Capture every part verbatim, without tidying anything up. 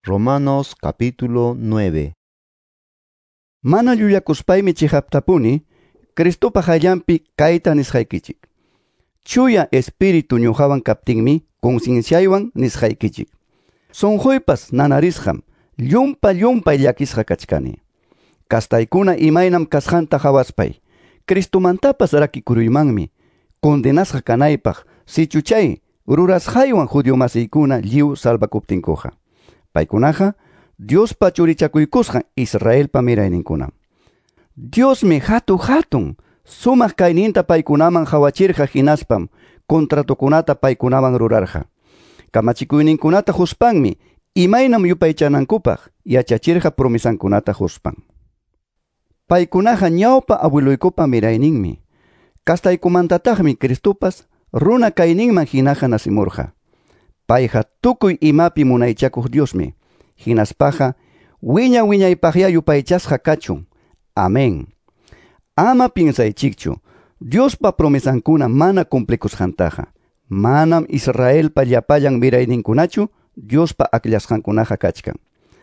Romanos capítulo nueve. Mana llullakuspaymi chiqaptapuni Cristopa qayllanpi kayta nisqaykichik. Chuya espíritu ñuqawan kaptinmi concienciaywan nisqaykichik. Sunquypas nanarisqam llumpa llumpay llakisqa kachkani. Kastaykuna imaynam kasqanta qawaspay Cristomantapas rakikuruymanmi condenasqa kanaypaq sichu chay rurasqaywan judío masiykuna lliw salvakuptinkuqa. Paykunaqa Diospa churichakuykusqan Israelpa mirayninkunam. Diosmi hatu hatun sumaq kayninta paykunaman qawachirqa hinaspam contratokunata paykunaman rurarqa. Kamachikuyninkunata huspanmi imaynam yupaychanankupaq yachachirqa promesankunata huspan. Paykunaqa ñawpa abueluykupa mirayninmi. Kastaykumantataqmi Cristopas runa kayninman hinaqa nasimurqa. Payqa tukuy imapi munaychakuq Diosmi. Hinaspaqa wiña wiñaypaqya yupaychasqa kachun. Amén. Ama piensaychikchu Diospa promesankuna mana cumplikusqantaqa. Manam Israelpa llapallan mirayninkunachu Diospa akllasqankunaqa kachkan.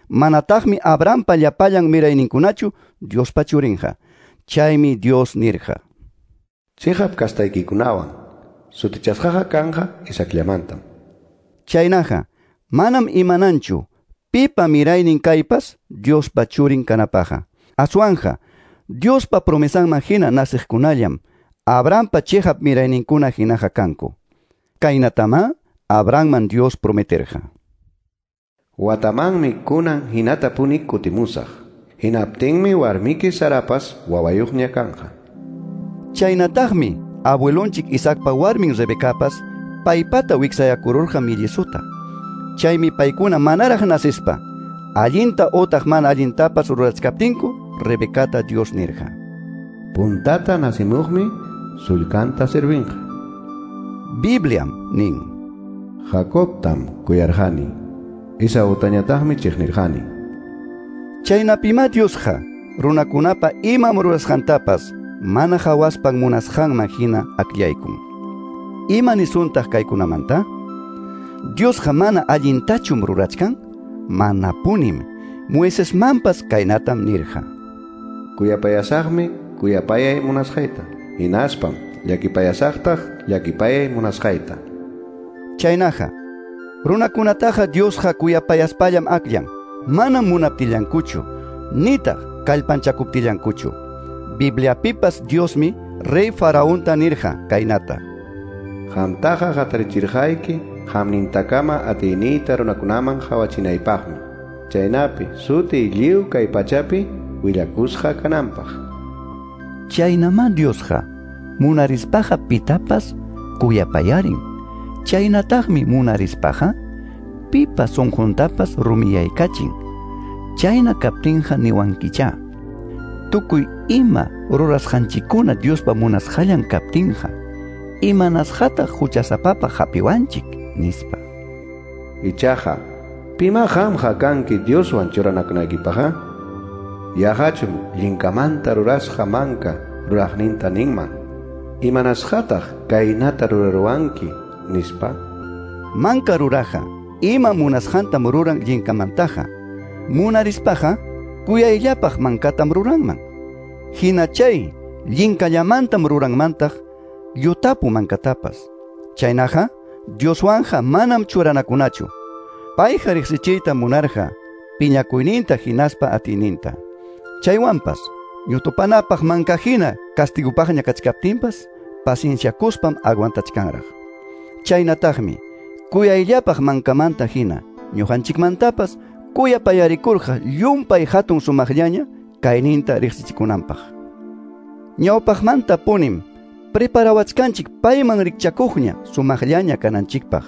Manataqmi Abrahampa llapallan mirayninkunachu Diospa churinqa. Chaymi Dios nirqa: Chiqap kastaykikunawan sutichasqaqa kanqa Isaacllamantam. Chaynaqa manam imananchu pipa miraynin kaypas Diospa churin kanapaqa. Aswanja Diospa promesanman hina nasiqkunallam Abrahampa chiqap mirayninkuna hinaqa kanku. Kaynatama Abrahamman Dios prometerqa: Watamanmi kunan hinatapuni kutimusaq. Hinaptinmi warmiki Sarapas wawayuqña kanqa. Chaynataqmi abuelonchik Isaacpa warmin Rebecapas paypata wiksayakururqa millisuta. Chaymi paykuna manaraq nasispa allinta otaq mana allintapas rurachkaptinku Rebecata Dios nirqa: Puntata nasimuqmi sullkanta servinqa. Bibliam nin: Jacobtam kuyarqani, Esautañataqmi chiqnirqani. Chaynapima Diosqa runakunapa imam rurasqantapas mana qawaspan munasqanman hina akllaykun. Ima nisuntaq kaykunamanta? Diosqa mana allintachum rurachkan? Manapunim. Moisesmanpas kaynatam nirqa: Kuyapayasaqmi kuyapayay munasqayta, hinaspam llakipayasaqtaq llakipayay munasqayta. Chaynaqa runakunataqa Diosqa kuyapayaspallam akllan, manam munaptillankuchu, nitaq kallpanchakuptillankuchu. Bibliapipas Diosmi rey Faraonta nirqa kaynata: Qamtaqa hatarichirqayki qamnintakama atiyniyta runakunaman qawachinaypaqmi, chaynapi sutiy lliw kay pachapi willakusqa kananpaq. Chaynama Diosqa munarispaqa pitapas kuyapayarin. Chaynataqmi munarispaqa pipa sunquntapas rumiyaykachin. Chayna kaptinqa niwankichá: tukuy ima rurasqanchikkuna Diospa munasqallan kaptinqa, imanasqataq huchasapapaq hapiwanchik, nispa. Ichaqa, pima qamqa kanki Dioswan churanakunaykipaqqa? Yaqachum llinkamanta rurasqa manka ruraqninta ninman: imanasqataq kaynata ruraruwanki, nispa. Manka ruraqa ima munasqantam ruran llinkamantaqa. Munarispaqa kuyayllapaq mankatam ruranman. Hina chay llinkallamantam ruranmantaq llutapu mankatapas. Chaynaqa Dioswanja manam churanakunachu. Payqa riqsichiyta munarqa piñakuyninta hinaspa atiyninta. Chaywanpas ñutupanapaq manka hina castigupaqña kachkaptinpas pacienciakuspam aguantachkanraq. Chaynataqmi kuyayllapaq mankamanta hina ñuqanchikmantapas kuyapayarikurqa llumpay hatun sumaqllaña kayninta riqsichikunanpaq. Ñawpaqmanta punim preparawachkanchik payman rikchakuqña sumaqllaña kananchikpaq.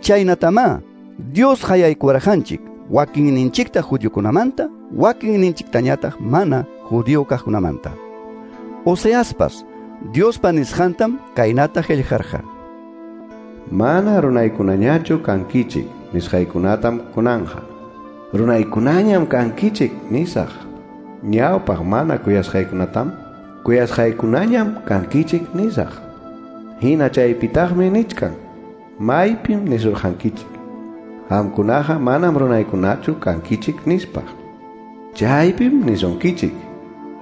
Chaynatamá Dios hayaykuwarqanchik wakinninchikta judiokunamanta, wakinninchiktañataq mana judío kaqkunamanta. Oseaspas Diospa nisqantam kaynata qillqarqa: Mana runaykunañachu kankichik nisqaykunatam kunanja. Runaykunañam kankichik nisaq. Ñawpaq mana kuyasqaykunatam kuyasqaykunañam kankichik nisaq. Hina chaypitaqmi nichkan: maypim nisurqankichik. Qamkunaqa manam runaykunachu kankichik nispa. Chaypim nisunkichik,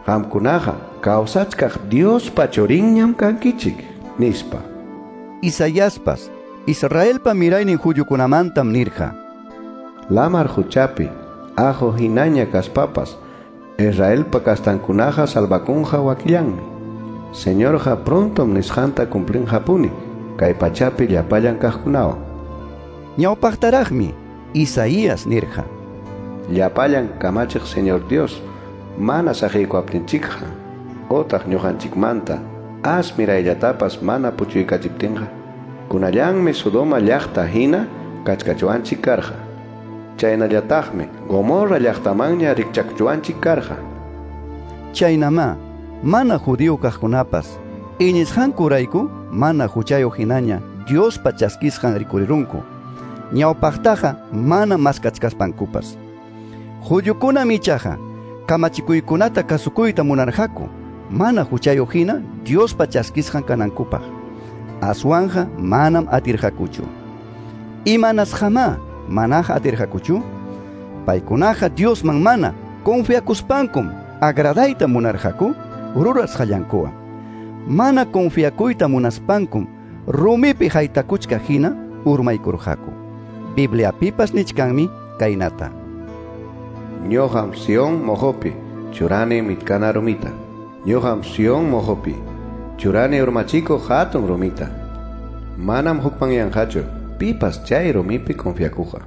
qamkunaqa kawsachkaq Diospa churinñam kankichik nispa. Isaiaspas Israelpa miraynin judiokunamantam nirqa: Lamar huchapi ajo hinaña kaspapas Israelpa kastankunaqa salvakunqa wakillanmi. Señorqa prontom nisqanta cumplinqapuni kay pachapi llapallan kaqkunawan. Ñawpaqtaraqmi Isaías nirqa: Llapallan kamachiq Señor Dios mana saqiykuwaptinchikqa otaq ñuqanchikmanta as mirayllatapas mana puchuykachiptinqa kunallanmi Sodoma llaqta hina kachkachuwanchik karqa. Chaynallataqmi Gomorra llaqtamanña rikchakuchuwanchik karqa. Chaynamá mana judío kaqkunapas iñisqankurayku mana huchayuq hinaña Diospa chaskisqan rikurirunku. Ñawpaqtaqa mana maskachkaspankupas. Judiokunam ichaqa kamachikuykunata kasukuyta munarqaku mana huchayuq hina Diospa chaskisqan kanankupaq. Aswanja manam atirqakuchu. Imanasqamá manaqa atirqakuchu? Paykunaqa Diosman mana confiakuspankum agradayta munarqaku rurasqallankuwan. Mana confiakuyta munaspankum rumipi haytakuchkaq hina urmaykurqaku. Bibliapipas nichkanmi kaynata: Ñuqam Sion mojopi churani mitkana rumita. Ñuqam Sion mojopi churani urmachikuq hatun rumita. Manam hukmanyanqachu pipas chay rumipi confiakuqa.